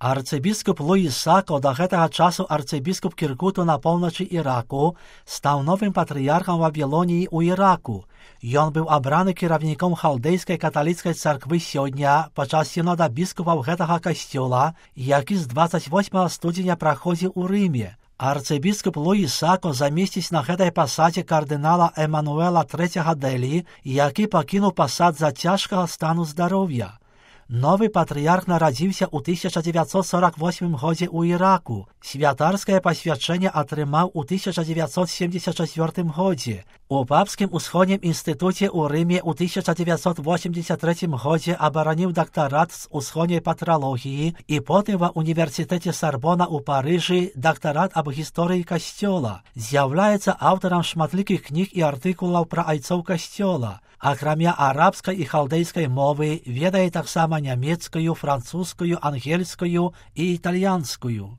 Арцыбіскуп Луіс Сако, да гэтага часу арцыбіскуп Кіркуту на поўначы Іраку, стаў новым патрыярхам Вавілоніі ў Іраку. Ён быў абраны кіраўніком халдэйскай каталіцкай царквы сёння падчас сінода біскупаў гэтага касцёла, які з 28 студзеня праходзіў у Рыме. Арцыбіскуп Луіс Сако замесціць на гэтай пасадзе кардынала Эмануэла III Дэлі, які пакінуў пасад з-за цяжкага стану здароўя. Новы патрыярх нарадзіўся ў 1948 годзе ў Іраку. Святарскае пасвячэнне атрымаў у 1974 годзе. У папскім усходнім інстытуце ў Рыме ў 1983 годзе абараніў дактарат з усходняй патралогіі і потым ва універсітэце Сарбона ў Парыжы дактарат аб гісторыі касцёла. З'яўляецца аўтарам шматлікіх кніг і артыкулаў пра айцоў касцёла. Акрамя арабскай і халдэйскай мовы ведае таксама нямецкую, французскую, ангельскую і італьянскую.